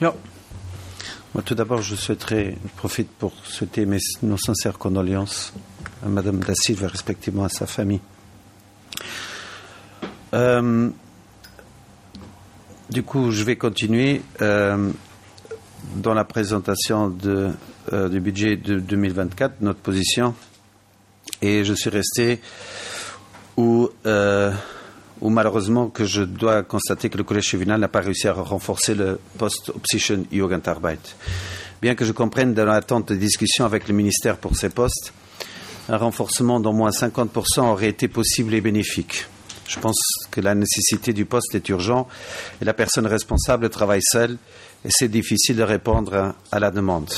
Jo. Moi, tout d'abord, je souhaiterais profite pour souhaiter mes, nos sincères condoléances à Madame da Silva, respectivement à sa famille. Euh, du coup, je vais continuer euh, dans la présentation de, euh, du budget de 2024, notre position. Et je suis resté où, euh, où malheureusement que je dois constater que le collège juvénal n'a pas réussi à renforcer le poste Opsichen Jugendarbeit. Bien que je comprenne dans l'attente de discussions avec le ministère pour ces postes, un renforcement d'au moins 50% aurait été possible et bénéfique. Je pense que la nécessité du poste est urgente et la personne responsable travaille seule et c'est difficile de répondre à la demande.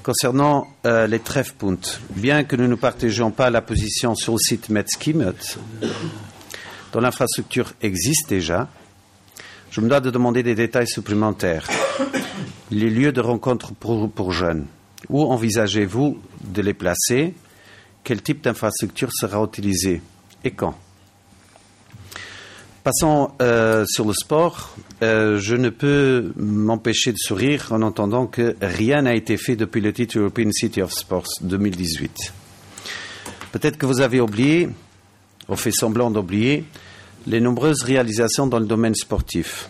Concernant euh, les Treffpunkt, bien que nous ne partagions pas la position sur le site Metzkimmet, dont l'infrastructure existe déjà, je me dois de demander des détails supplémentaires. Les lieux de rencontre pour, pour jeunes, où envisagez-vous de les placer Quel type d'infrastructure sera utilisé et quand Passons euh, sur le sport. Euh, je ne peux m'empêcher de sourire en entendant que rien n'a été fait depuis le titre European City of Sports 2018. Peut-être que vous avez oublié, ou fait semblant d'oublier, les nombreuses réalisations dans le domaine sportif.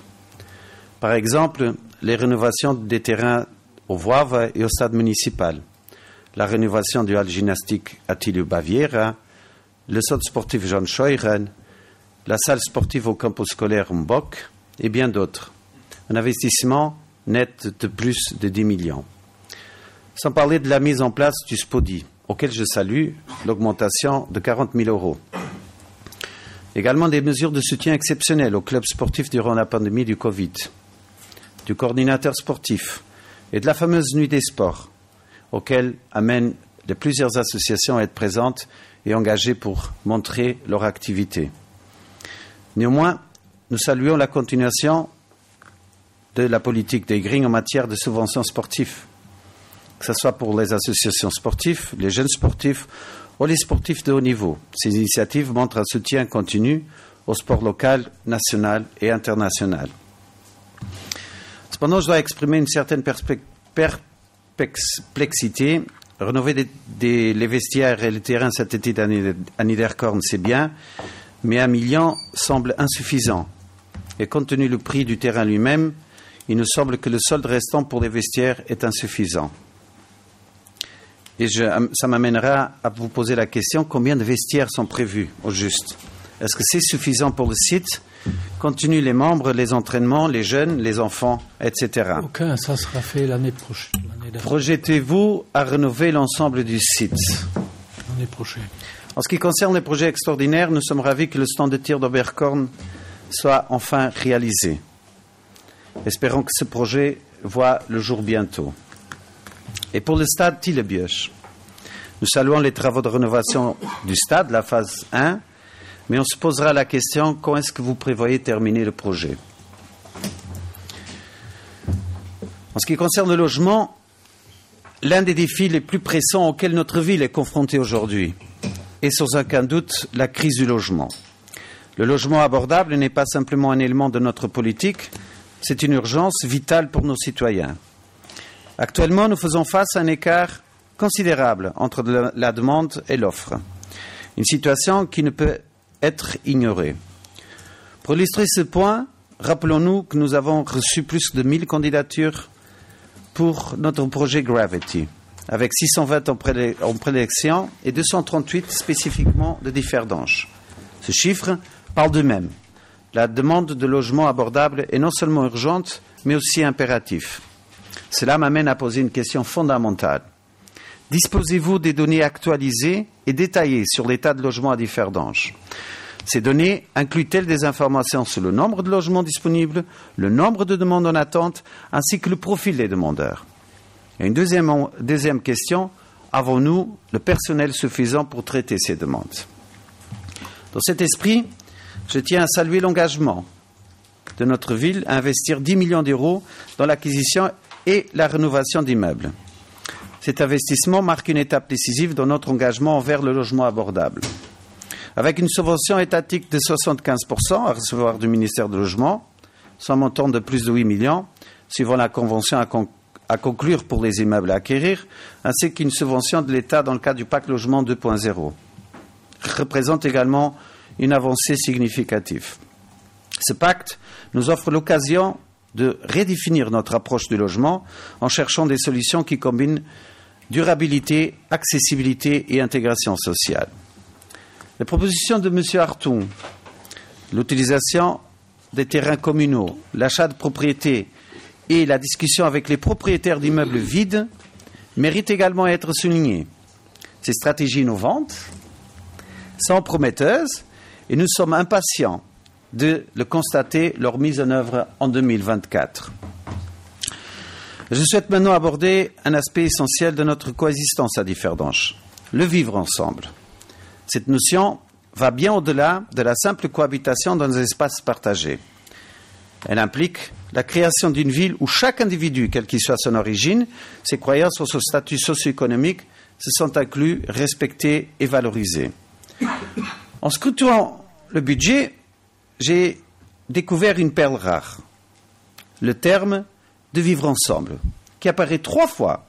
Par exemple, les rénovations des terrains au Voivre et au stade municipal, la rénovation du hall gymnastique Attilio Baviera, le centre sportif Jean Scheuren, la salle sportive au campus scolaire Mbok et bien d'autres. Un investissement net de plus de 10 millions. Sans parler de la mise en place du SPODI, auquel je salue l'augmentation de 40 000 euros. Également des mesures de soutien exceptionnelles aux clubs sportifs durant la pandémie du Covid, du coordinateur sportif et de la fameuse nuit des sports, auquel amènent de plusieurs associations à être présentes et engagées pour montrer leur activité. Néanmoins, nous saluons la continuation de la politique des Greens en matière de subventions sportives, que ce soit pour les associations sportives, les jeunes sportifs ou les sportifs de haut niveau. Ces initiatives montrent un soutien continu au sport local, national et international. Cependant, je dois exprimer une certaine perplexité. Rénover des, des, les vestiaires et les terrains cet été à Niederkorn, c'est bien, mais un million semble insuffisant. Et compte tenu le prix du terrain lui-même, il nous semble que le solde restant pour les vestiaires est insuffisant. Et je, ça m'amènera à vous poser la question combien de vestiaires sont prévus au juste Est-ce que c'est suffisant pour le site Continuent les membres, les entraînements, les jeunes, les enfants, etc. Aucun, ça sera fait l'année prochaine. Projetez-vous à rénover l'ensemble du site L'année prochaine. En ce qui concerne les projets extraordinaires, nous sommes ravis que le stand de tir d'Oberkorn soit enfin réalisé. Espérons que ce projet voit le jour bientôt. Et pour le stade Tillebioche, nous saluons les travaux de rénovation du stade, la phase 1, mais on se posera la question quand est-ce que vous prévoyez terminer le projet En ce qui concerne le logement, l'un des défis les plus pressants auxquels notre ville est confrontée aujourd'hui est sans aucun doute la crise du logement. Le logement abordable n'est pas simplement un élément de notre politique, c'est une urgence vitale pour nos citoyens. Actuellement, nous faisons face à un écart considérable entre la demande et l'offre, une situation qui ne peut être ignorée. Pour illustrer ce point, rappelons-nous que nous avons reçu plus de 1000 candidatures pour notre projet Gravity, avec 620 en, prélé en prélection et 238 spécifiquement de Differdange. Ce chiffre parle d'eux-mêmes. La demande de logements abordables est non seulement urgente, mais aussi impérative. Cela m'amène à poser une question fondamentale. Disposez-vous des données actualisées et détaillées sur l'état de logement à Differdange Ces données incluent-elles des informations sur le nombre de logements disponibles, le nombre de demandes en attente, ainsi que le profil des demandeurs Et une deuxième, deuxième question, avons-nous le personnel suffisant pour traiter ces demandes Dans cet esprit, je tiens à saluer l'engagement de notre ville à investir 10 millions d'euros dans l'acquisition et la rénovation d'immeubles. Cet investissement marque une étape décisive dans notre engagement envers le logement abordable. Avec une subvention étatique de 75% à recevoir du ministère du Logement, soit un montant de plus de 8 millions, suivant la convention à, con à conclure pour les immeubles à acquérir, ainsi qu'une subvention de l'État dans le cadre du pacte logement 2.0, représente également une avancée significative. Ce pacte nous offre l'occasion de redéfinir notre approche du logement en cherchant des solutions qui combinent durabilité, accessibilité et intégration sociale. Les propositions de M. Hartung, l'utilisation des terrains communaux, l'achat de propriétés et la discussion avec les propriétaires d'immeubles vides méritent également à être soulignées. Ces stratégies innovantes sont prometteuses et nous sommes impatients de le constater leur mise en œuvre en 2024. Je souhaite maintenant aborder un aspect essentiel de notre coexistence à Differdange, le vivre ensemble. Cette notion va bien au-delà de la simple cohabitation dans un espace partagé. Elle implique la création d'une ville où chaque individu, quelle qu'il soit son origine, ses croyances ou son statut socio-économique, se sont inclus, respectés et valorisés. En scrutant le budget, j'ai découvert une perle rare, le terme de vivre ensemble, qui apparaît trois fois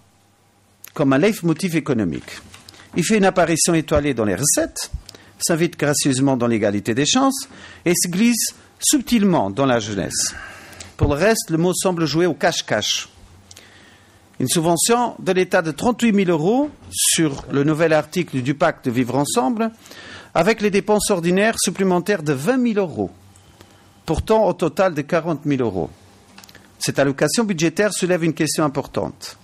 comme un leitmotiv économique. Il fait une apparition étoilée dans les recettes, s'invite gracieusement dans l'égalité des chances et se glisse subtilement dans la jeunesse. Pour le reste, le mot semble jouer au cache-cache. Une subvention de l'État de 38 000 euros sur le nouvel article du pacte de vivre ensemble, avec les dépenses ordinaires supplémentaires de 20 000 euros, pourtant au total de 40 000 euros. Cette allocation budgétaire soulève une question importante.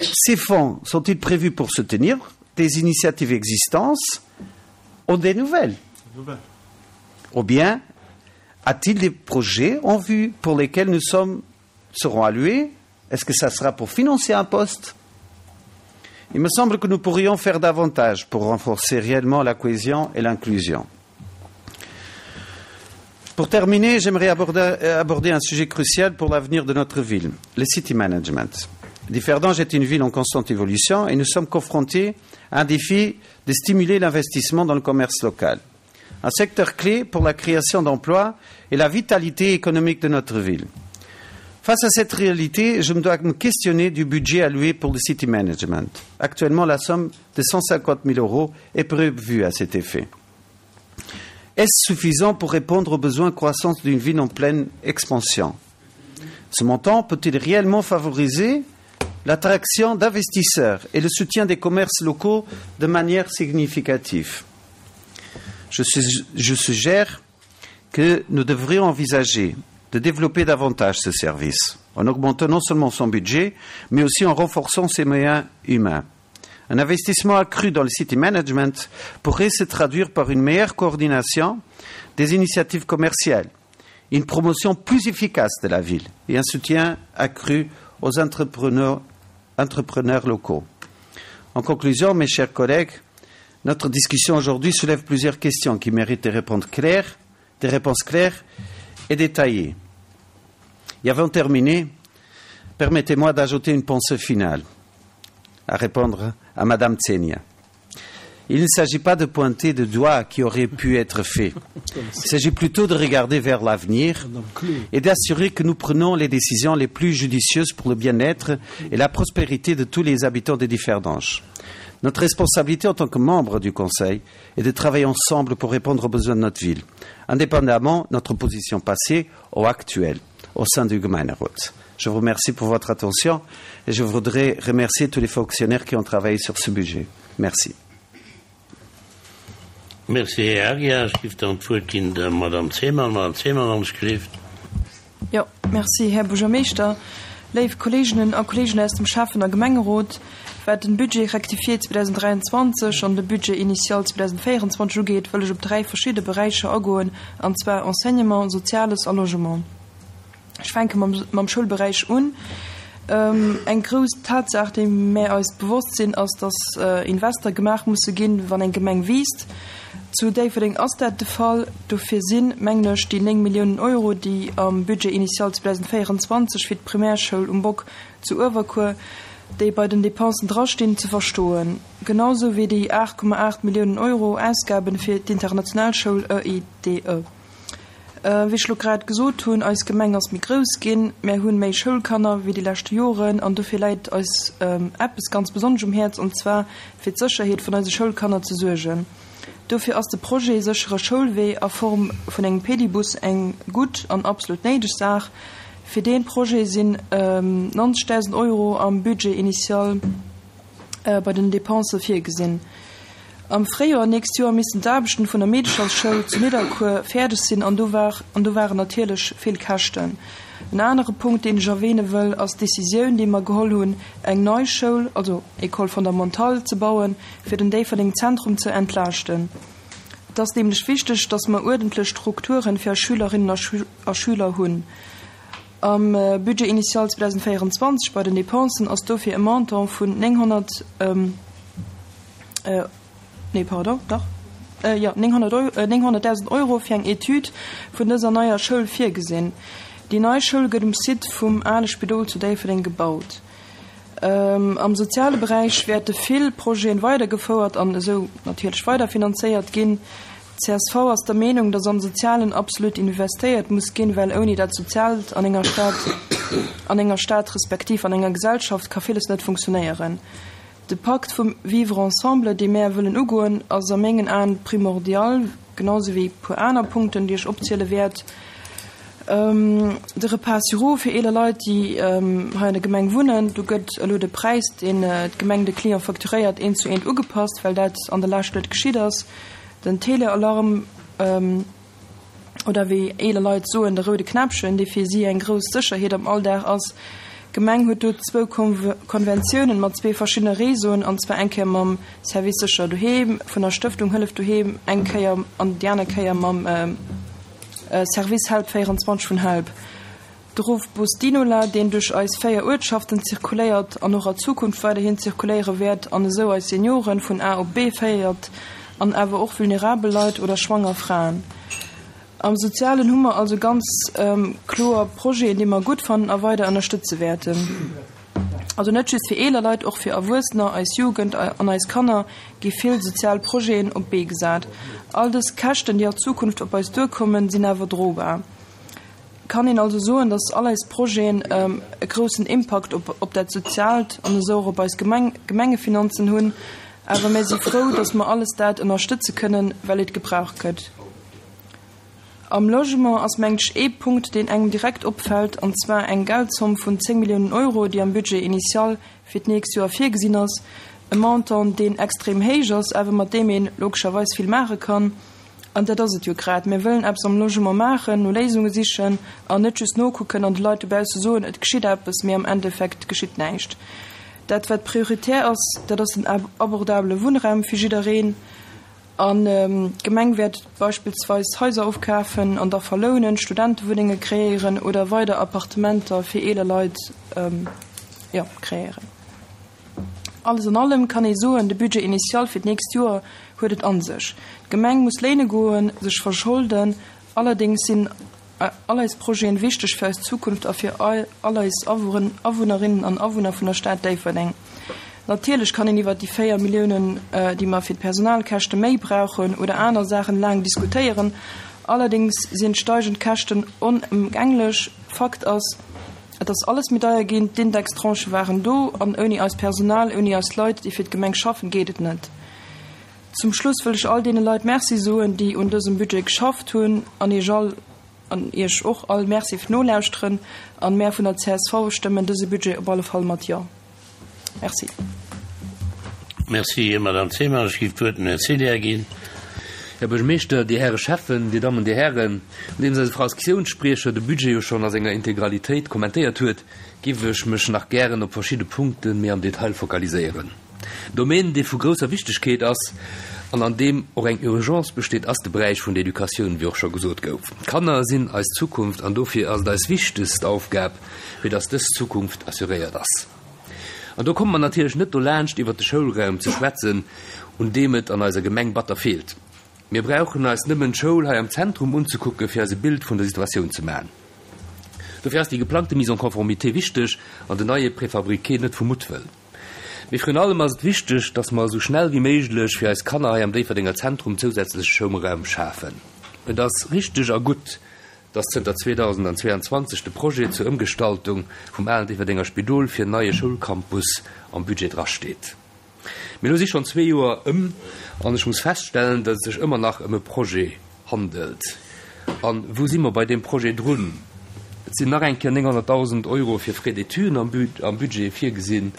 Ces fonds sont-ils prévus pour soutenir des initiatives existantes ou des nouvelles Ou bien a-t-il des projets en vue pour lesquels nous sommes, serons alloués Est-ce que ça sera pour financer un poste Il me semble que nous pourrions faire davantage pour renforcer réellement la cohésion et l'inclusion. Pour terminer, j'aimerais aborder, aborder un sujet crucial pour l'avenir de notre ville, le city management. Differdange est une ville en constante évolution et nous sommes confrontés à un défi de stimuler l'investissement dans le commerce local, un secteur clé pour la création d'emplois et la vitalité économique de notre ville. Face à cette réalité, je me dois me questionner du budget alloué pour le city management. Actuellement, la somme de 150 000 euros est prévue à cet effet. Est-ce suffisant pour répondre aux besoins croissants d'une ville en pleine expansion Ce montant peut-il réellement favoriser l'attraction d'investisseurs et le soutien des commerces locaux de manière significative je, je suggère que nous devrions envisager de développer davantage ce service, en augmentant non seulement son budget, mais aussi en renforçant ses moyens humains. Un investissement accru dans le city management pourrait se traduire par une meilleure coordination des initiatives commerciales, une promotion plus efficace de la ville et un soutien accru aux entrepreneurs, entrepreneurs locaux. En conclusion, mes chers collègues, notre discussion aujourd'hui soulève plusieurs questions qui méritent des réponses claires, des réponses claires et détaillées. Et avant de terminer, permettez-moi d'ajouter une pensée finale à répondre à Madame Tsenia. Il ne s'agit pas de pointer de doigts qui aurait pu être fait. Il s'agit plutôt de regarder vers l'avenir et d'assurer que nous prenons les décisions les plus judicieuses pour le bien-être et la prospérité de tous les habitants des Differdanges. Notre responsabilité en tant que membre du Conseil est de travailler ensemble pour répondre aux besoins de notre ville, indépendamment de notre position passée ou actuelle au sein du Gemeinderat. Je vous remercie pour votre attention et je voudrais remercier tous les fonctionnaires qui ont travaillé sur ce budget. Merci. Merci, Här Aguiar. Ech géif dann d'Wuert ginn der Madame Zeman. Madame Zeman, wann ech gelift. Jo, merci, Här Buergermeeschter. Léif Kolleeginnen a Kolleegen aus dem Schäffen a Gemengerot, wat den Budget rectifié 2023 an de Budget initial 2024 ugeet, wëll ech op dräi verschidde Beräicher agoen, an zwar Enseignement, Soziales a Logement. Ech fänke mam, mam Schoulberäich un. Eng grouss Tatsaach, déi mär eis bewosst sinn, ass, dass Invester gemaach musse ginn, wann eng Gemeng wiisst. Zu Déifferdeng ass dat de Fall. Dofir sinn, mengen ech, déi 9 Milliounen Euro, déi am Budget initial 2024 fir d'Primärschoul um Bock zu Uewerkuer, déi bei den Dépensen drastinn, ze verstoen. Genau sou wéi déi 8,8 Milliounen Euro Ausgaben fir d'International Schoul EIDE. Wéi ech lo grad gesot hunn, eis Gemeng ass méi grouss ginn, mär hunn méi Schoulkanner wéi déi leschte Joren an dofir läit eis eppes ganz besonnesch um Häerz an zwar fir d'Sécherheet vun eise Schoulkanner ze suergen. Dofir ass de Projet Séchere Schoulwee a Form vun engem Pedibus eng gutt an absolut néideg Saach. Fir dee Projet sinn 90.000 Euro am Budget initial bei den Depensë virgesinn. Am Fréijoer nächst Joer missten d'Aarbechten vun der Meedechersschoul zu Nidderkuer fäerdeg sinn an do war an do waren natierlech vill Käschten. En anere Punkt, deen ech erwähne wëll, ass d'Decisioun, déi mer geholl hunn, eng nei Schoul, also École fondamentale, ze bauen, fir den Déifferdeng Zentrum ze entlaaschten. Et ass nämlech wichteg, dass mer uerdentlech Strukturen fir eis Schülerinnen a Schüler hunn. Am Budget initial 2024 bei den Dépensen ass dofir e Montant vun 900, nee pardon, dach, jo, 900.000 Euro fir eng Etüd vun dëser neier Schoul virgesinn. Déi nei Schoul gëtt um Site vum ale Spidol zu Déifferdeng gebaut. Am soziale Beräich wäerte vill Projeten weidergefouert an esou natierlech weiderfinanzéiert ginn. Csv ass der Meenung, dass am Sozialen absolut investéiert muss ginn, well ouni dat Soziaalt an enger Stad, an enger Stad respektiv an enger Gesellschaft ka villes net funktionéieren. De Pakt vum Vivre ensemble, dee mär wëllen ugoen, ass a mengen Aen primordial, genau sou wéi e puer aner Punkten, déi ech opziele wäert. De Repas sur roues fir eeler Leit, déi hei an der Gemeng wunnen, do gëtt elo de Präis, deen d'Gemeng de Client facturéiert, eent zu eent ugepasst, well dat an der Lescht net geschitt ass. Den Telealarm, oder wéi eeler Leit soen, de roude Knäppchen, dee fir si eng grouss Sécherheet am Alldag ass. D'Gemeng huet do zwou Konventiounen mat zwee verschiddene Réseauen, an zwar eng Kéier mam Service Sécher Doheem vun der Stëftung Hëllef Doheem eng Kéier an déi aner Kéier mam Service Help 24 vun Help. De Ruffbus Dinola, deen duerch eis 4 Uertschaften zirkuléiert an och a Zukunft weiderhin zirkuléiere wäert an esou eis Senioren vun A op B féiert an awer och vulnerabel Leit oder schwanger Fraen. Am Sozialen hu mer also ganz kloer Projeten, déi mer gutt fannen a weider ënnerstëtze wäerten. Also net just fir eeler Leit, och fir Erwuessener, eis Jugend an eis Kanner gi vill sozial Projeten op d'Bee gesat. All dës Käschten, déi a Zukunft op eis duerkommen, sinn awer drobar. Kann een also soen, dass all eis Projeten e groussen Impakt op dat Soziaalt an esou och op eis Gemengefinanzen hunn. Awer mär si frou, dass mer alles dat ënnerstëtze kënnen, well et gebraucht gëtt. Am Logement ass mengt ech ee Punkt, deen engem direkt opfält, an zwar eng Geldzomm vun 10 Milliounen Euro, déi am Budget initial fir d'nächst Joer virgesinn ass. E Montant, deen extrem héich ass, awer mat deem ee logescherweis vill maache kann. An dat ass et jo grad, Mir wëllen eppes am Logement maachen, no Léisunge sichen an net just nokucken an de Leit dobausse soen, et geschitt eppes, mee am Endeffekt geschitt näischt. Dat, wat prioritär ass, dat ass den abordabele Wunnraum fir jiddereen. An d'Gemeng wäert beispillsweis Haiser ofkafen an da verlounen, Studentewunnenge kreéieren oder weider Appartementer fir eeler Leit, jo, kreéieren. Alles an allem kann ee soen, de Budget initial fir d'nächst Joer huet et a sech. D'Gemeng muss léine goen, sech verscholden. Allerdéngs sinn all eis Projeten wichteg fir eis Zukunft a fir all eis Awunnerinnen an Awunner vun der Stad Déifferdeng. Natierlech kann een iwwert déi 4 Milliounen, déi mer fir d'Personalkäschte méi brauchen oder aner Saachen laang diskutéieren. Allerdéngs sinn d'steigend Käschten onëmgänglech. Fakt ass, Et ass alles méi deier ginn, d'Indextranchë waren do an ouni eist Personal, ouni eis Leit, déi fir d'Gemeng schaffen, geet et net. Zum Schluss wëll ech all deene Leit Merci soen, déi un dësem Budget geschafft hunn an Iech all, an Iech och all Merci fir d'Nolauschteren. An mär vun der csv stëmmen dëse Budget op alle Fall mat Jo. Merci. Merci, Madame Zeman. Ech géif d'Wuert dem Här Celier ginn. Här Buergermeeschter, Dir Häre Schäffen, Dir Dammen, Dir Hären, nodeems eise Fraktiounsspriecher de Budget jo schonn a senger Integralitéit kommentéiert huet, géif ech mech nach gären op verschidde Punkte méi am Detail fokaliséieren. En Domaine, dee vu grousser Wichtegkeet ass an an deem och eng Urgence besteet, ass de Beräich vun der Educatioun, wéi och scho gesot gouf. D'Kanner sinn eis Zukunft an dofir ass et eis wichtegst Aufgab, fir dass dës Zukunft assuréiert ass. An do komme mer natierlech net dolaanscht, iwwert de Schoulraum ze schwätzen, un deem et an eiser Gemeng batter feelt. Mir brauchen eis nëmmen d'Schoul hei am Zentrum unzekucken, fir eis e Bild vun der Situatioun ze maachen. Dofir ass déi geplangte Mise en conformité wichteg an den neie Préfabriqué net vu Muttwëll. Mee virun allem ass et wichteg, dass mer esou schnell wéi méiglech fir eis Kanner hei am Déifferdenger Zentrum zousätzleche Schoumraum schafen. Et ass richteg a gutt. dass zënter 2022 de Projet zur Ëmgestaltung vum alen Déifferdenger Spidol fir en neie Schoulcampus am Budget drasteet. Mee elo si schonn zwee Joer ëm an ech muss feststellen, datt et sech ëmmer nach ëm e Projet handelt. A wou si mer bei deem Projet drun? Et sinn nach eng Kéier 900.000 Euro fir Frais d'études am Budget virgesinn.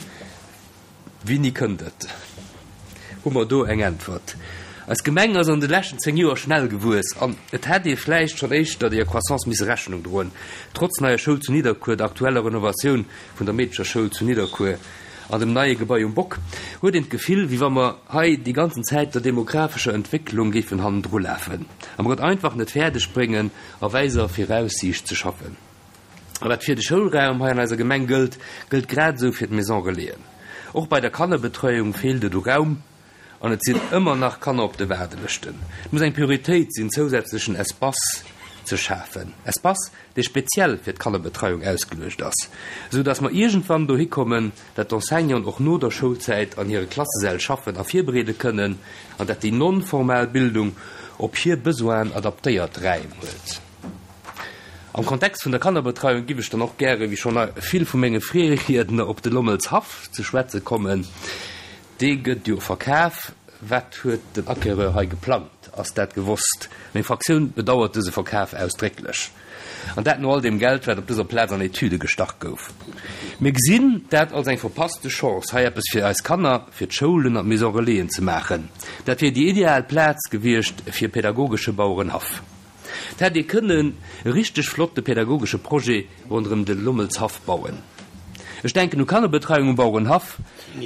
Wéini kënnt et? Hu mer do eng Äntwert? Eis Gemeng ass an de leschten 10 Joer schnell gewuess an et hätt ee vläicht schonn éischter deeër Croissance misse Rechnung droen. Trotz neier Schoul zu Nidderkuer, der aktueller Renovatioun vun der Meedcherschoul zu Nidderkuer an dem neie Gebai um Bock huet een d'Gefill, wéi wa mer hei déi ganzen Zäit der demographescher Entwécklung géifen hannendru lafen a mer et einfach net fäerdeg bréngen, a wäiser Viraussiicht ze schaffen. A wat fir de Schoulraum hei an eiser Gemeng gëllt, gëllt grad esou fir d'Maison Relaisen. Och bei der Kannerbetreuung feelt et u Raum an et sinn ëmmer nach Kanner op de Waardelëschten. Et muss eng Prioritéit sinn, zousätzlechen Espace ze schafen, Espace, dee speziell fir d'Kannerbetreiung ausgeluecht ass, esou dass mer iergendwann dohi kommen, dat d'Enseignanten och no der Schoulzäit an hire Klassesäll schaffen a virbereede kënnen an dat déi non-formal Bildung op hir Besoinen adaptéiert Räim huet. Am Kontext vun der Kannerbetreiung giff ech dann och gäre, wéi schonn vill vu menge Virriedner, op de Lommelshaff ze schwätze kommen. Dee gëtt jo verkaf. Wat huet den Acquéreur hei geplangt? Ass dat gewosst? Meng Fraktioun bedauert dëse Verkaf ausdrécklech. An dat no all deem Geld, wat op dëser Plaz an Etüde gestach gouf. Mir gesinn dat als eng verpasste Chance, hei eppes fir eis Kanner, fir d'Schoulen an d'Maison Relaisen ze maachen. Dat wier déi ideal Plaz gewiescht fir e pädagogesche Bauerenhaff. Et hätt ee kënnen e richteg flotte pädagogesche Projet ronderëm de Lommelshaff bauen. Ech denken u Kannerbetreiung um Bauerenhaff,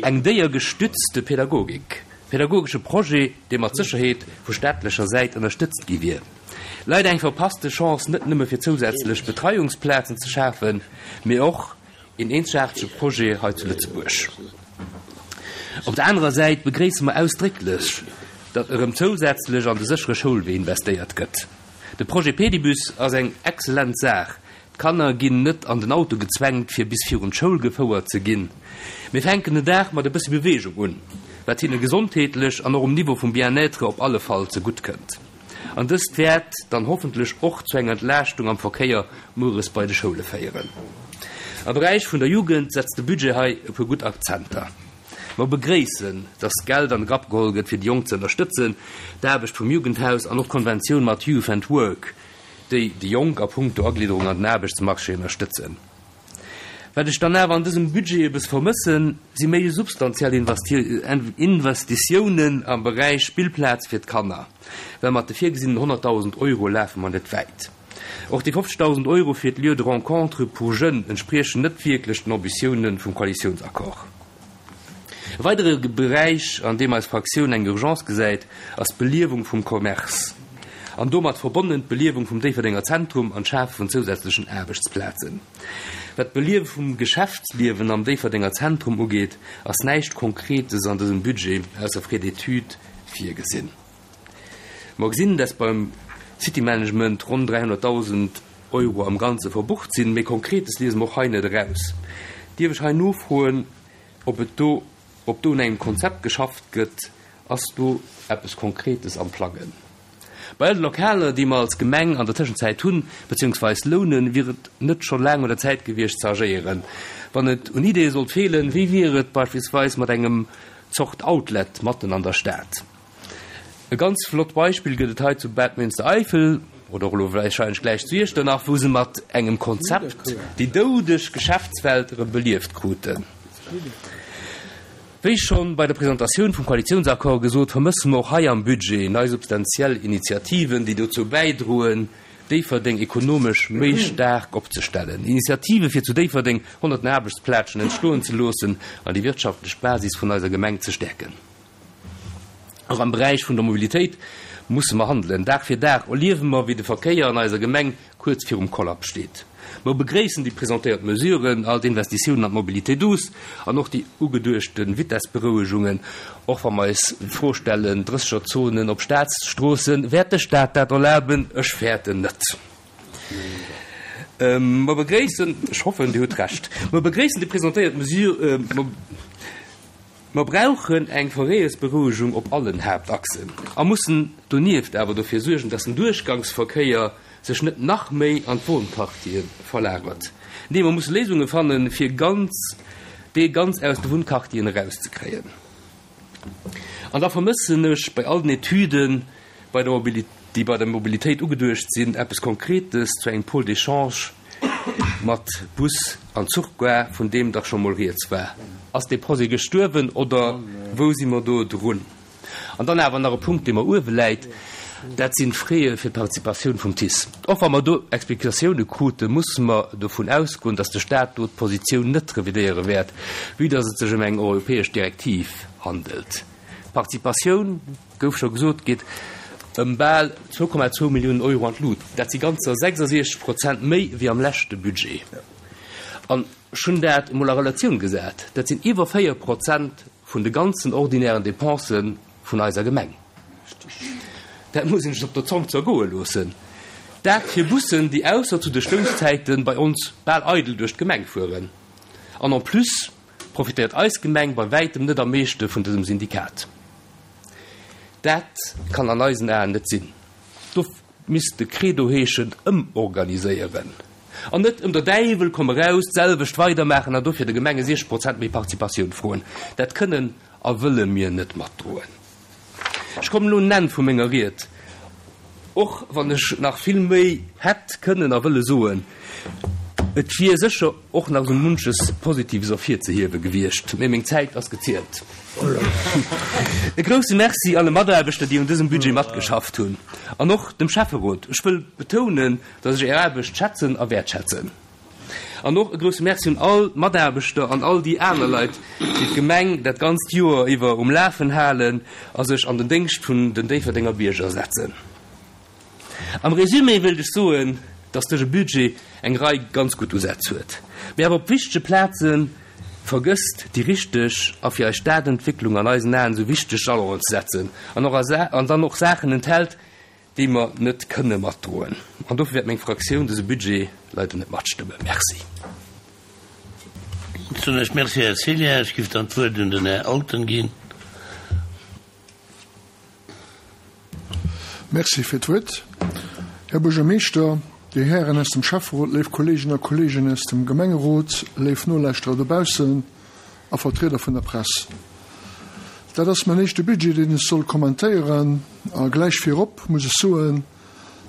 eng déiergestützte Pädagogik, pädagogesche Projet, dee mat Sécherheet vu staatlecher Säit ënnerstëtzt gi wier. Leider eng verpasste Chance, net nëmme fir zousätzlech Betreiungsplazen ze schafen, mee och een eenzegaartege Projet hei zu Lëtzebuerg. Op der anerer Säit begréisse mer ausdrécklech, datt erëm zousätzlech an de séchere Schoulwee investéiert gëtt. De Projet Pedibus ass eng excellent Saach. D'Kanner ginn net an den Auto gezwängt, fir bis virun d'Schoul gefouert ze ginn, mee fänken den Dag mat e bëssi Beweegung un, wat hinne gesondheetlech an och um Niveau vum Bien-être op alle Fall zegutt kënnt. An dëst wäert dann hoffentlech och zu enger Entlaaschtung am Verkéier mueres bei de Schoule féieren. Am Beräich vun der Jugend setzt de Budget hei e puer gutt Akzenter. Mer begréissen, dass Geld an de Grapp geholl gëtt, fir déi Jonk ze ënnerstëtzen, d'Aarbecht vum Jugendhaus an och d'Konventioun mat Youth and Work, déi déi Jonk a punkto Aglidderung an den Aarbechtsmarché ënnerstëtzen. Wat ech dann awer an dësem Budget e bëss vermëssen, si méi substantiell Investitiounen am Beräich Spillplaz fir d'Kanner, well mat de virgesinnen 100.000 Euro lafe mer net wäit. Och déi 50.000 Euro fir d'Lieux de rencontre pour jeunes entspriechen net wierklech den Ambitiounen vum Koalitiounsaccord. E weidere Beräich, an deem eis Fraktioun eng Urgence gesäit, ass d'Beliewung vum Commerce an domat verbonnen d'Beliewung vum Déifferdenger Zentrum an d'Schafe vun zousätzlechen Aarbechtsplazen. Wat d'Beliewe vum Geschäftsliewen am Déifferdenger Zentrum ugeet, ass näischt Konkretes an dësem Budget, ausser Frais d'études, virgesinn. Mer gesinn, dass beim City Management ronn 300.000 Euro am Ganze verbucht sinn, mee Konkretes liese mer och hei net eraus. Dierf ech hei nofroen, ob et do, ob do un engem Konzept geschafft gëtt? Ass do eppes Konkretes am Plangen? Bei all de Lokaler, déi mer als Gemeng an der Tëschenzäit hunn, beziehungsweis lounen, wier et net scho laang un der Zäit gewiescht ze agéieren? Wann et un Ideeë sollt feelen, wéi wier et beispillsweis mat engem Zort Outlet matten an der Stad? E ganz flott Beispill gëtt et hei zu Bad Münstereifel, oder och elo wahrscheinlech gläich zu Iechternach, wou se mat engem Konzept déi doudeg Geschäftswelt erëm belieft kruten. Wéi schonn bei der Presentatioun vum Koalitiounsaccord gesot, vermësse mer och hei am Budget nei substantiell Initiativen, déi dozou bäidroen, Déifferdeng ekonomesch méi staark opzestellen. Initiative fir zu Déifferdeng honnerten Aarbechtsplazen entstoen ze loossen an déi wirtschaftlech Basis vun eiser Gemeng ze stäerken. Och am Beräich vun der Mobilitéit musse mer handelen. Dag fir Dag erliewe mer, wéi de Verkéier an eiser Gemeng kuerz virum Kollaps steet. Mer begréissen déi presentéiert Mesuren, all d'Investitiounen an d'Mobilité douce an och déi ugeduechte Vitessberouegungen, och wa mer eis d'Fro stellen, Drëssegerzonen op Staatsstroossen, wäert de Staat dat erlaben? Ech fäerten net. Mer begréissen, ech hoffen, Dir hutt Recht, mer begréissen déi presentéiert Mesure, Mer brauchen eng Verréiersberouegung op allen Haaptachsen a mussen donieft awer dofir suergen, dass den Duerchgangsverkéier. sech net nach méi an d'Wohnquartiere verlagert. Nee, mer musse Léisunge fannen, fir ganz dee ganz aus de Wunnquartieren erauszekréien. An da vermëssen ech bei all den Etüden, bei der Mobilitéit, déi bei der Mobilitéit ugeduecht sinn, eppes Konkretes zu engem Pôle d'échange mat Bus an Zuchgare, vun deem dach scho mol rieds war. Ass dee Projet gestuerwen oder wou si mer do drun? An dann awer nach e Punkt, dee mer uewe läit, dat sinn d'Fraie fir d'Participatioun vum TICE. Och wa mer do Explikatioune kruten, musse mer dovun ausgoen, datt de Stat do d'Positioun net revidéiere wäert, vue datt et sech ëm eng europäesch Direktiv handelt. D'Participatioun, gouf scho gesot, geet ëm bal 2,2 Milliounen Euro an d'Lut. Dat si ganzer 66 Prozent méi wéi am leschte Budget. An ech hunn dat emol a Relatioun gesat, dat sinn iwwer 4 Prozent vun de ganzen ordinären Depensë vun eiser Gemeng. Dat muss een sech op der Zong zergoe loossen. Dat fir Bussen, déi ausser zu de Stousszäite bei ons bal eidel duerch d'Gemeng fueren. An en plus profitéiert eis Gemeng bei wäitem net am meeschte vun dësem Syndikat. Dat kann an eisen Aen net sinn. Do misst de Credo heeschen, ëmorganiséieren an net ëm der Däiwel komm eraus d'selwecht weidermaachen an dofir de Gemenge 60 Prozent méi Participatioun froen. Dat kënnen a wëlle mir net matdroen. Ech kommen elo un den Enn vu menger Ried, och wann ech nach vill méi hätt kënnen a wëlle soen. Et wier sécher och nach esou munches Positives ervirzehiewe gewiescht, mee meng Zäit ass gezielt. E grousse Merci alle Mataarbechter, déi un dësem Budget matgeschafft hunn, an och dem Schäfferot. Ech wëll betounen, dass ech Är Aarbecht schätzen a wäertschätzen. An och e grousse Merci un all d'Mataarbechter an all déi aner Leit, déi d'Gemeng dat ganzt Joer iwwer um Lafen halen a sech an den Déngscht vun den Déifferdenger Bierger setzen. Am Résumé wéilt ech soen, dass dëse Budget eng Rei ganz gutt Usätz huet, mee awer op wichtege Plaze vergësst, déi richteg a fir eis Stadentwécklung an eisen Aen esou wichteg Jalonen ze setzen an och an dann och Saachen enthält, déi mer net kënne matdroen. An dofir wäert meng Fraktioun dëse Budget leider net matstëmmen. Merci. Soen ech Merci, Här Cillien. Ech giff dann d'Wuert un den Här Alten ginn. Merci fir d'Wuert, Här Buergermeeschter, Dir Hären aus dem Schäfferot, léif Kolleegen a Kolleegen aus dem Gemengerot, léif Nolauschterer dobaussen a Vertrieder vun der Press. Dat ass mäin éischte Budget, deen ech soll kommentéieren. A gläich virop muss ech soen,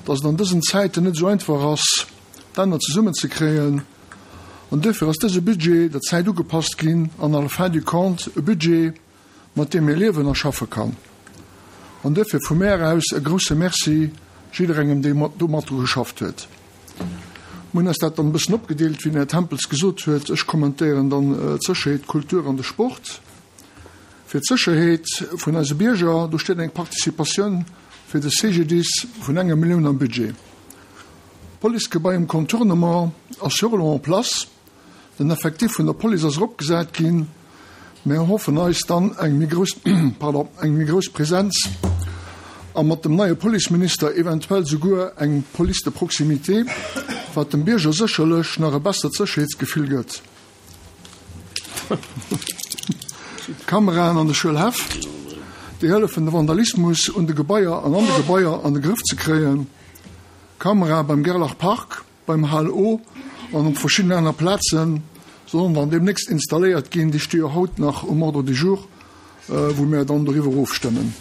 dass et an dësen Zäiten net esou einfach ass, d'Enner zesummenzekréien. An duerfir ass dëse Budget der Zäit ugepasst ginn an à la fin du compte e Budget, mat deem ee liewen a schaffe kann. An duerfir vu mär aus e grousse Merci jidderengem, dee do mat dru geschafft huet. Mir hunn eis dat dann e bëssen opgedeelt, wéi den Här Tempels gesot huet. Ech kommentéieren dann d'Sécherheet, d'Kultur an de Sport. Fir d'Sécherheet vun eise Bierger, do steet eng Participatioun fir de CGDIS vun enger Millioun am Budget. D'Policegebai um Contournement ass jo och elo en place. Den Effectif vun der Police ass eropgesat ginn. Mir erhoffen eis dann eng méi grouss, pardon, eng méi grouss Präsenz a mat dem neie Policeminister eventuell souguer eng Police de proximité, wat dem Bierger sécherlech nach e bessert Sécherheetsgefill gëtt. D'Kameraen an de Schuelhäff, déi hëllefen de Vandalismus un de Gebaier an an de Gebaier an de Grëff ze kréien. Kamerae beim Gerlach Park. Beim HLO an op verschiddenen aner Plaze sollen dann deemnächst installéiert ginn. Déi sti jo haut nach um Ordre du jour, wou mir dann doriwwer ofstëmmen.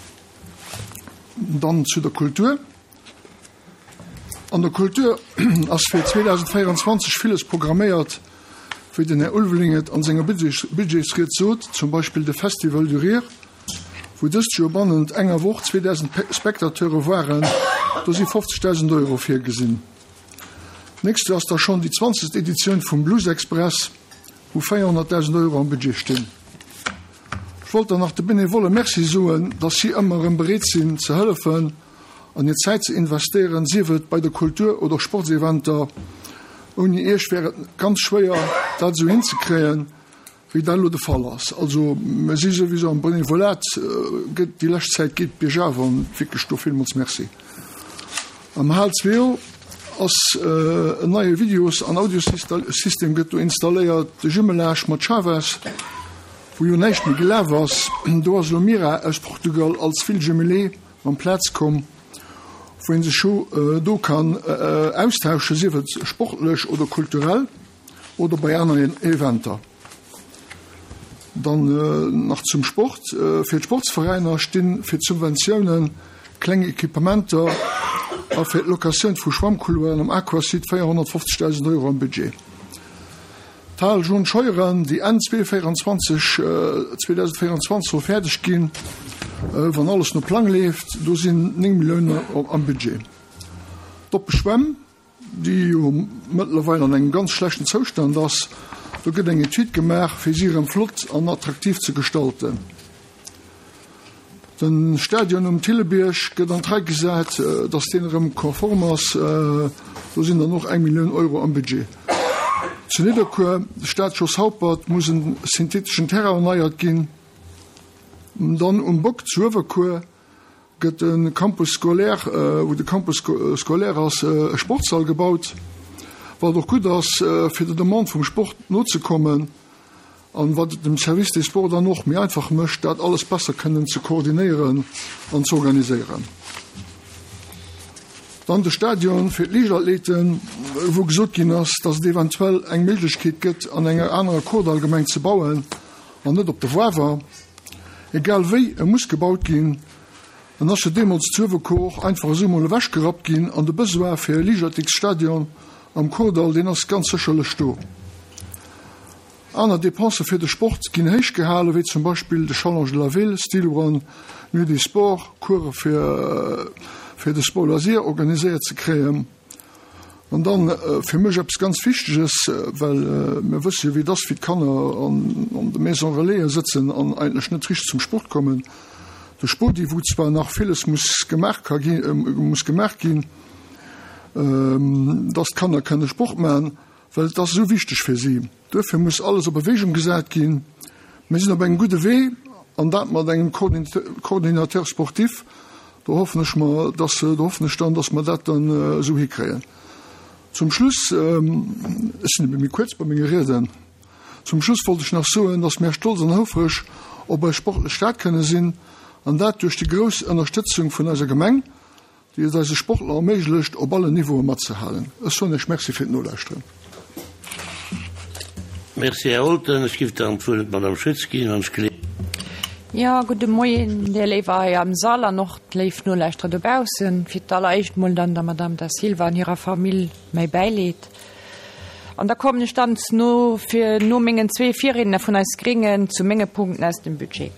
Dann zu der Kultur. An der Kultur ass fir 2024 villes programméiert, wéi den Här Ulveling et an senger Budgetsried sot, zum Beispill de Festival du Rire, wou dëst Joer bannent enger Woch 2.000 Spectateure waren. Do si 50.000 Euro virgesinn. D'nächst Joer ass da schonn déi zwanzegst Editioun vum Blues Express, wou 400.000 Euro am Budget stinn. Ech wollt dann nach de Benevolle Merci soen, dass si ëmmer erëm bereet sinn ze hëllefen an hir Zäit ze investéieren, sief et bei der Kultur oder Sportseventer. Ouni Iech wär et ganz schwéier, dat esou hinzekréien. Wéi dat elo de Fall ass, also mir si souwisou am Benevolat, gëtt déi lescht Zäit geet biergaf an wierklech do villmools Merci. Am Hal Zweo ass en neie Videos an Audiosystem gëtt do installéiert, de Jumelage mat Chaves, wou jo näischt méi gelaf ass, do ass elo Mira aus Portugal als Ville jumelée an d'Plaz komm. wou ee sech jo do kann austauschen, sief et sportlech oder kulturell oder bei aneren Eventer. Dann nach zum Sport, Fir d'Sportsveräiner sti fir d'Subventiounen, kleng Equipementer a fir d'Locatioun vu Schwammcouloiren am Aquasite 450.000 Euro am Budget. D'Hal John Scheuren, déi Enn 2024 2024 soll fäerdeg ginn, wann alles no Plang leeft, do sinn 9 Milliounen am Budget. D'oppe Schwämm, déi jo mëttlerweil an engem ganz schlechten Zoustand ass, do gëtt eng Etüd gemaach, fir si erëm flott an attraktiv ze gestalten. De Stadion um Thillebierg gëtt an d'Rei gesat, datt deen erëm konform ass. Do sinn dann och eng Millioun Euro am Budget. Zu Nidderkuer, de Stade Jos Haupert, muss en syntheteschen Terrain erneiert ginn. Dann um Bock zu Uewerkuer gëtt de Campus scolaire, wou de Campus scolaire ass, e Sportssall gebaut, wat och gutt ass, fir der Demande vum Sport nozekommen. An wat et dem Service des Sports dann och méi einfach mécht, dat alles besser kënnen ze koordinéieren an ze organiséieren. Dann de Stadion fir d'Liichtathleten, wou gesot ginn ass, dass et eventuell eng Méiglechkeet gëtt, an enger anerer Kordallgemeng ze bauen an net op der Woawer. Egal wéi, e muss gebaut ginn. En ass jo deemools zu Uewerkuer och einfach esou mol ewechgerappt ginn an de Besoin fir e Liichtathletiksstadion am Kordall, deen ass ganz sécherlech do. Aner Depensë fir de Sport ginn héich gehalen, wéi zum Beispill de Challenge de la Ville, Steel Run, Nuit des Sports, Course fir fir de Sport Loisir organiséiert ze kréien. An dann fir mech eppes ganz Wichteges, well mir wësse jo wéi et ass, wéi d'Kanner an an de Maisons Relaisen sëtzen an eigentlech net richteg zum Sport kommen. De Spodi, wou zwar nach villes muss gemaach ka gi muss gemaach ginn, dass d'Kanner kënne Sport maachen, Well et ass esou wichteg fir si. Duerfir muss alles a Bewegung gesat ginn. Mir sinn op engem gudde Wee, an dat mat engem Coordinateur sportif. Do hoffen ech mer, dass, do hoffen ech dann, dass mer dat dann esou hikréien. Zum Schluss, ech sinn ebe méi kuerz bei menge Rieden, zum Schluss wollt ech nach soen, dass mär stolz an houfreg op eis sportlech Stad kënne sinn, an dat duerch déi grouss Ënnerstëtzung vun eiser Gemeng. déi et eise Sportler erméiglecht, op allen Niveaue matzehalen. Ech soen Iech Merci fir d'Nolauschteren. Merci, Här Olten. Ech giff dann d'Wuert un d'Madame Schütz ginn, wann ech geleeën. Jo, gudde Moien, dir Léiwer hei am Sall an och d'léif Nolauschterer dobaussen. Fir d'alleréischt mol dann der Madame Da Silva an hirer Famill mäi Bäileed. An da kommen ech dann no, fir no mengen zwee Virriedner vun eis Gréngen zu menge Punkten aus dem Budget.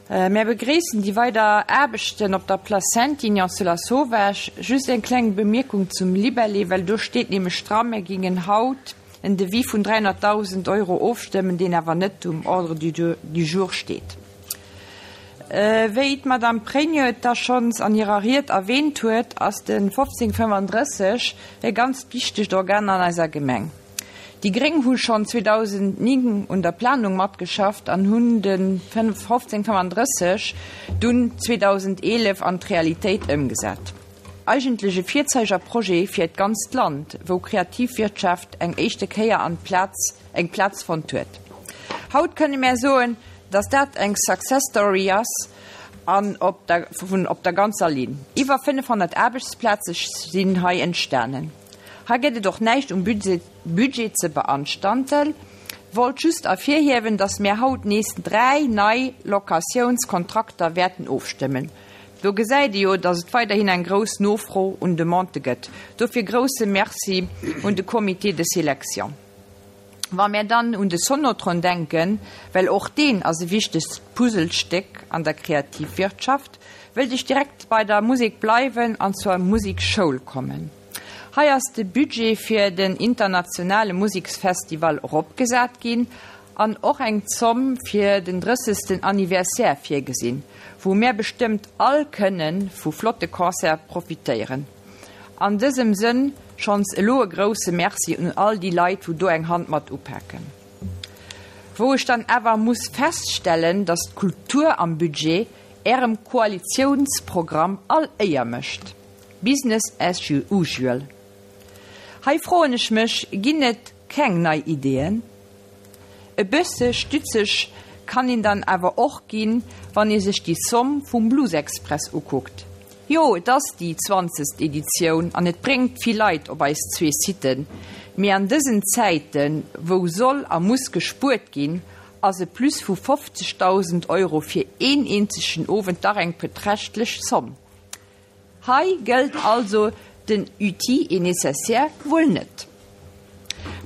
Mär begréissen déi weider Aarbechten op der Place Saint-Ignace zu Lasauvage. Just eng kleng Bemierkung zum Libellé, well do steet nämlech dra, mär gingen haut en Devis vun 300.000 Euro ofstëmmen, deen awer net um Ordre du jour steet. Wéi d'Madame Pregno et da schonns an hirer Ried erwähnt huet, ass de 1535 e ganzt wichtegt Organ an eiser Gemeng. Déi gréng hu schonn 2009 un der Planung matgeschafft an hunn de 1535 dunn 2011 an d'Realitéit ëmgesat. Eigentlech e Virzeigerprojet fir d'ganzt Land, wou Kreativwirtschaft eng éischte Kéier an Plaz eng Plaz fonnt huet. Haut kënne mär soen, dass dat eng Success Story ass an op der vun op der ganzer Linn. Iwwer 500 Aarbechtsplaze sinn hei entstanen. Hei gëtt et och näischt um Budget ze beanstanden. Wollt just ervirhiewen, dass mär haut nees 3 nei Locatiounskontrakter wäerten ofstëmmen. Do gesäit ee jo, dass et weiderhin eng grouss Nofro un Demandë gëtt. Dofir grousse Merci un de Comité de sélection. Wa mär dann un de Sonotron denken, well och deen ass e wichtegt Puzzlestéck an der Kreativwirtschaft, wëllt ech direkt bei der Musek bleiwen an zur Musekschoul kommen. Hei ass de Budget fir den internationale Museksfestival eropgesat ginn an och eng Zomm fir den drëssegsten Anniversaire virgesinn, wou mär bestëmmt all kënne vu flotte Concerte profitéieren. An dësem Sënn schonns elo e grousse Merci un all déi Leit, wou do eng Hand mat upaken. Wou ech dann awer muss feststellen, dass d'Kultur am Budget Ärem Koalitiounsprogramm all Éier mécht. Business as usual. Hei froen ech mech, ginn et keng nei Ideeën? E bësse stützeg kann een dann awer och ginn, wann ee sech déi Somm vum Bluesexpress ukuckt. Jo, et ass déi zwanzegst Editioun an et bréngt vill Leit op eis zwee Siten, mee an dësen Zäiten, wou soll a muss gespuert ginn, ass e Plus vu 50.000 Euro fir een eenzegen Owend dach eng beträchtlech Zomm. Hei gëllt also den Utile et nécessaire wuel net.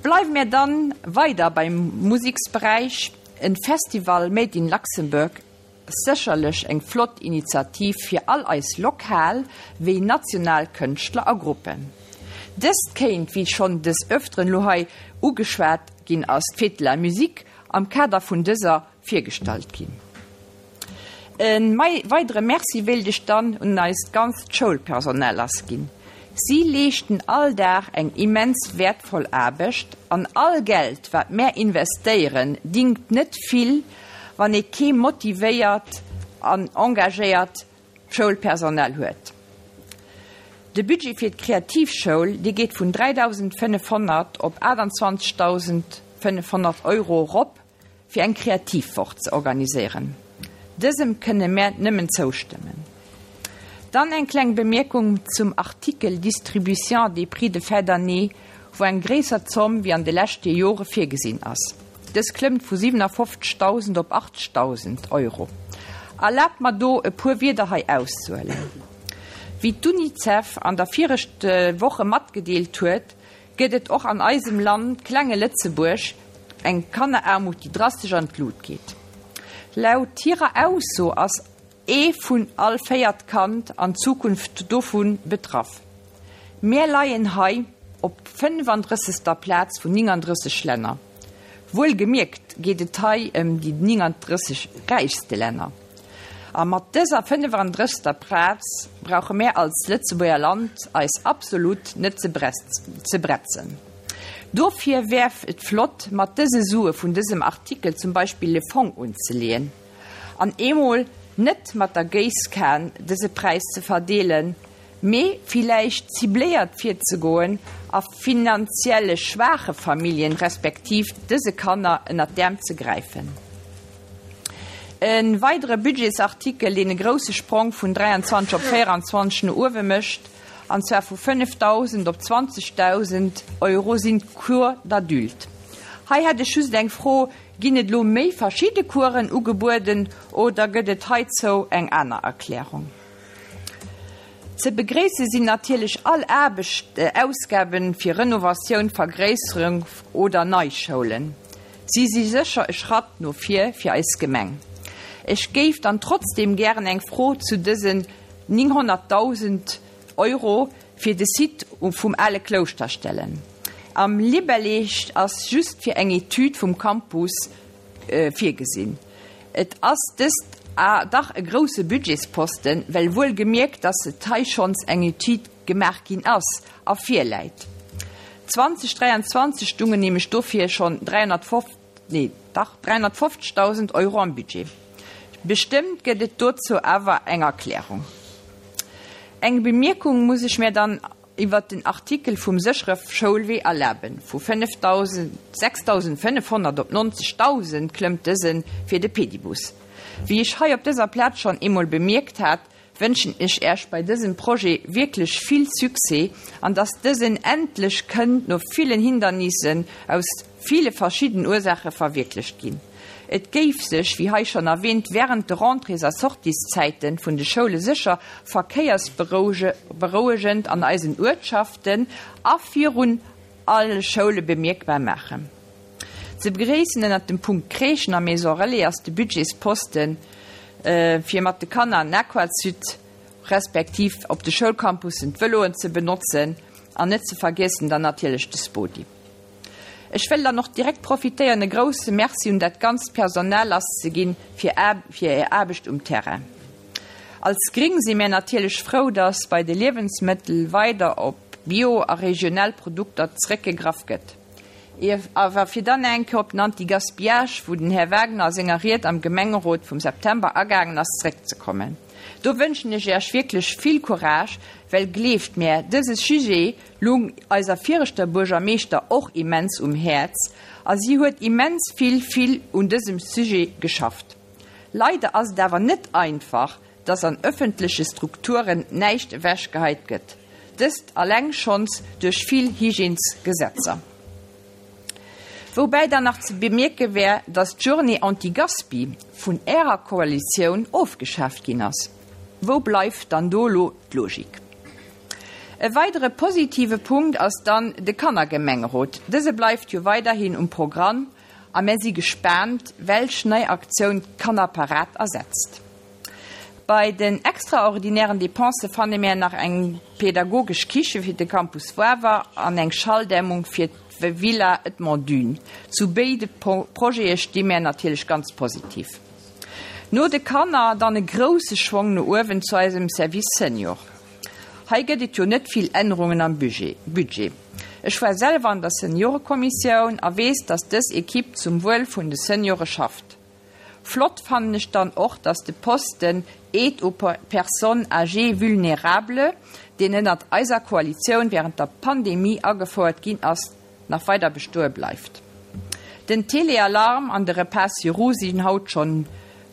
Bleiwe mir dann weider beim Museksberäich, En Festival Made in Luxembourg Sécherlech eng flott Initiativ fir all eis lokal wéi national Kënschtler a Gruppen. Dëst kéint, wéi schonn des Öfteren lo hei ugeschwat ginn ass, d'Fête de la Musique am Kader vun dëser virgestallt ginn. E weidere Merci wéilt ech dann un eist ganzt Schoulpersonal lassginn. Si leeschten all Dag eng immens wäertvoll Aarbecht an all Geld wat mär investéieren dingt net vill, wann ee kee motivéiert an engagéiert Schoulpersonal huet. De Budget fir d'Kreativschoul, dee geet vun 3.500 op 28.500 Euro erop, fir eng Kreativwoch ze organiséieren. Dësem kënne mär nëmmen zoustëmmen. Dann eng kleng Bemierkung zum Artikel Distribution des prix de fin d'année, wou eng gréisser Zomm wéi an de leschte Jore virgesinn ass. Dës klëmmt vu 57.000 op 80.000 Euro. Erlaabt mer do e puer Wierder hei auszehuelen. Wéi d'UNICEF an der viregte Woche matgedeelt huet, gëtt et och an eisem Land, klenge Lëtzebuerg, eng Kanneraarmut, déi drastesch an d'Lut geet. Laut hirer Ausso ass ee vun all véiert Kand an Zukunft dovu betraff. Mär leien hei op 35. Plaz vun 39 Länner. Wuelgemierkt geet et hei ëm déi 39 räichste Länner. A mat dëser 35. Plaz brauche mär als Lëtzebuerger Land eis absolut net ze bretzen. Dofir wär et flott, mat dëse Sue vun dësem Artikel zum Beispill e Fong unzeleeën an eemol net mat der Géisskan dëse Präis ze verdeelen, mee villäicht cibléiert virzegoen a finanzielle schwaache Familljen respektiv dëse Kanner ënnert d'Äerm ze gräifen. E weidere Budgetsartikel, deen e grousse Sprong vun 23 op 24 no uewe mécht, an zwar vu 5.000 op 20.000 Euro, sinn d'Cours d'adultes. Hei hätt ech just eng Fro, Ginn et elo méi verschidde Coursen ugebueden oder gëtt et heizou eng aner Erklärung? Ze begréisse sinn natierlech all Aarbecht, Ausgaben fir Renovatioun, Vergréisserung oder nei Schoulen. Si si sécher e Schratt no vir fir eis Gemeng. Ech géif dann trotzdeem gären eng Fro zu dësen 900.000 Euro fir de Site vum ale Klouschter stellen. Am Libellé ass just fir eng Etüd vum Campus virgesinn. Et ass dëst dach e grousse Budgetsposten, well wuel gemierkt, datt et hei schonns eng Etüd gemaach ginn ass a virläit. 2023 stungen nämlech dofir schonn 350.000 Euro am Budget. Bestëmmt gëtt et dozou awer eng Erklärung. Eng Bemierkung muss ech mär dann iwwert den Artikel vum séchere Schoulwee erlaben. Vu 6.500 op 90.000 klëmmt dëse fir de Pedibus. Wéi ech hei op dëser Plaz schonn eemol bemierkt hat, wënschen ech Äech bei dësem Projet wierklech vill Succès an dass dësen endlech kënnt no villen Hindernissen aus ville verschidden Ursaache verwierklecht ginn. Et géif sech, wéi hei schonn erwähnt, während de Rentrées a Sortieszäiten vun de Schoule sécher verkéiersberouegend an eisen Uertschaften a virun alle Schoule bemierkbar maachen. Ze begréissen ënnert dem Punkt Crèchen a Maison Relais ass de Budgetsposten fir mat de Kanner an den Aquasud respektiv op de Schoulcampussen d'Vëloen ze benotzen an net ze vergiessen dann natierlech de Spodi. Ech wëll dann och direkt profitéieren e grousse Merci un dat ganzt Personal lasszeginn fir fir är Aarbecht um Terrain. Als Gring si mär natierlech frou, dass bei de Liewensmëttel weider op Bio a regional Produkter zeréckgegraff gëtt. Awer fir dann eng Kéier op den Anti-Gaspillage, wou den Här Wagner a senger Ried am Gemengerot vum September agaangen ass, zeréckzekommen, do wënschen ech Iech wierklech vill Courage, well gleeft mär, dëse Sujet lung eiser viregter Buergermeeschter och immens um Häerz a si huet immens vill, vill un dësem Sujet geschafft. Leider ass et awer net einfach. dass an ëffentleche Strukturen näischt ewechgeheit gëtt, dëst alleng schonns duerch vill Hygiènesgesetzer. Woubäi dann nach ze bemierke wär, dass d'Journée anti-Gaspi vun Ärer Koalitioun ofgeschaaft ginn ass. Wou bleift dann do elo d'Logik? E weidere positive Punkt ass dann de Kannergemengerot. Dëse bleift jo weiderhin um Programm a mär si gespaant, welch nei Aktioun d'Kannerparad ersetzt. Bei den extraordinären Depensë fanne mär nach eng pädagogesch Kiche fir de Campus Woawer an eng Schalldämmung fir d'Villa Edmond Dune. Zu béide Projete sti mär natierlech ganz positiv. No de Kanner dann e grousse Schwong no uewen zu eisem Service Senior. Hei gëtt et jo net vill Ännerungen am Budget. Ech war selwer an der Seniorekommissioun a weess, dass dës Equipe zum Wuel vun de Seniore schafft. Flott fannen ech dann och, dass de Posten Aide aux personnes âgées vulnérables, deen ënnert eiser Koalitioun während der Pandemie agefouert ginn ass, nach weider bestoe bleift. Den Téléalarm an de Repas sur roues sinn haut schonn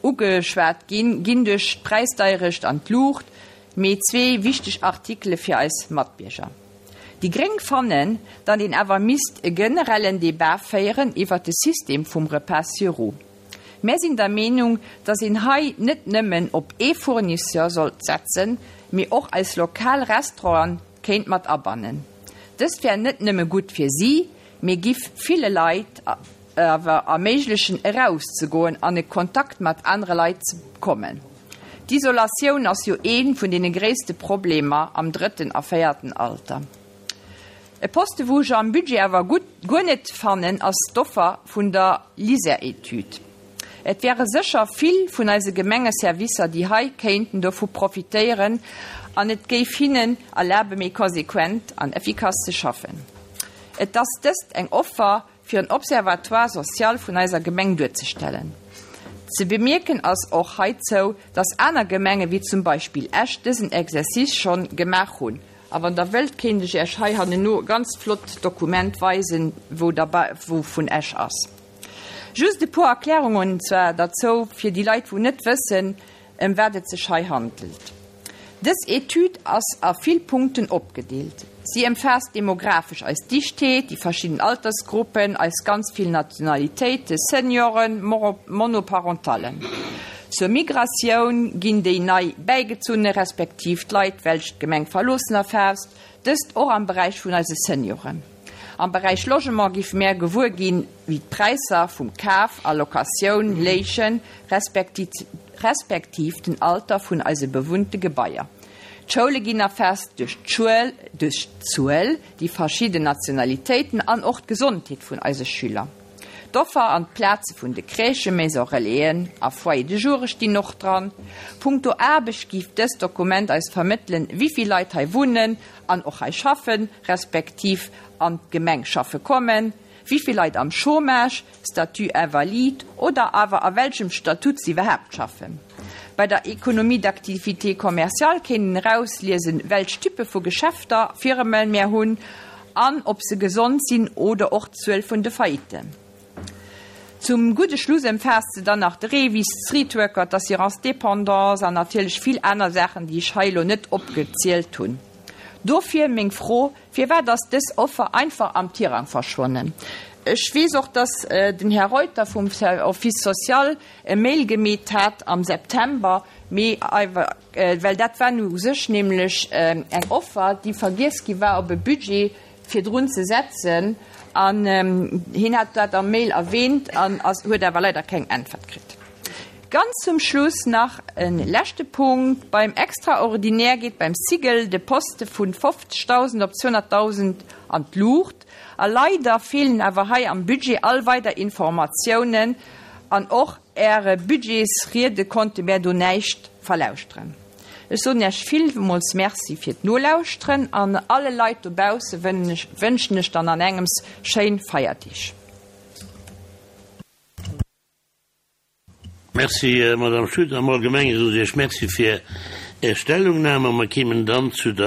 ugeschwat ginn, ginn duerch d'Präisdeierecht an d'Luucht, mee zwee wichteg Artikele fir eis Matbierger. Déi gréng fannen, datt een awer misst e generellen Debat féieren iwwert de System vum Repas sur roues. Mär sinn der Meenung, datt een hei net nëmmen op ee Fournisseur sollt setzen, mee och eis lokal Restauranten kéint mat abannen. Dëst wär net nëmme gutt fir si, mee giff ville Leit awer erméiglechen eraus ze goen an e Kontakt mat anere Leit ze kommen. D'Isolatioun ass jo ee vun deene gréisste Problemer am drëtten a véierten Alter. E Poste wou ech am Budget awer gutt guer net fannen ass d'Offer vun der LISER-Etüd. Et wäre sécher vill vun eise Gemengeservicer déi hei kéinten dovu profitéieren an et géif hinnen erlabe méi konsequent an effikass ze schaffen. Et ass dëst eng Offer fir en Observatoire social vun eiser Gemeng duerzestellen. Ze bemierken ass och heizou, dass aner Gemenge wéi zum Beispill Esch dësen Exercice schonn gemaach hunn. A wann Der wëllt, kéint ech Iech hei hanneno e ganz flott Dokument weisen, wou derbei, wou vun Esch ass. Just e puer Erklärungen zwar derzou, fir déi Leit wou net wëssen, ëm wat et sech hei handelt. Dës Etüd ass a vill Punkten opgedeelt. Si ëmfaasst demografesch eis Dichtheet, déi verschidden Altersgruppen, eis ganz vill Nationalitéite, Senioren, Monoparentallen. Zur Migratioun ginn déi nei Bäigezunne respektiv d'Leit, welch d'Gemeng verloossen, erfaasst, dëst och am Beräich vun eise Senioren. Am Beräich Logement géife mär gewuer ginn, wéi d'Präisser vum Kaf a Locatioun léichen, respektiv den Alter vun eise bewunnte Gebaier. D'Schoule ginn erfaasst duerch d'Zuel, déi verschidden Nationalitéiten an och d'Gesondheet vun eise Schüler. D'Offer an d'Plaze vun de Crèchen, Maisons Relaisen a Foyers de joure stinn och dran. Punkto Aarbecht géif dëst Dokument eis vermëttelen, wéivill Leit hei wunnen an och hei schaffen, respektiv an d'Gemeng schaffe kommen, wéivill Leit am Chômage, Statut invalide oder awer a welchem Statut se iwwerhaapt schaffen. Bei der Économie d'activité commerciale kéint een erausliesen, welch Typpe vu Geschäfter, Firmen, mär hunn an ob se gesond sinn oder och d'Zuel vun de Faillitten. Zum gudde Schluss ëmfaasst se dann nach de REVIS, d'Streetworker, d'Assurance dépendance an natierlech vill aner Saachen, déi ech hei elo net opgezielt hunn. Dofir meng Fro, Firwat ass dës Offer einfach am Tirang verschwonnen? Ech weess och, dass den Här Reuter vum Office social e Mail gemeet hat am September, mee well dat war nu u sech nämlech eng Offer, déi vergiess gi war op e Budget virdrun ze setzen, an hien hat dat am Mail erwähnt an ass, huet awer leider keng Äntwert kritt. Ganz zum Schluss nach e leschte Punkt, Beim Extraordinaire geet beim Cigl de Poste vun 50.000 op 200.000 an d'Luucht. A leider feelen awer hei am Budget all weider Informatiounen an och Äre Budgetsriede konnte mär do näischt verlauschteren. Ech soen Iech villmools Merci fir d'Nolauschteren an alle Leit dobausse wënschen ech dann an engems schéin Feierdeeg. Merci, Madame Schutter. Am Allgemenge soen ech Iech Merci fir Är Stellungnahme. Mer kéimen dann zu der.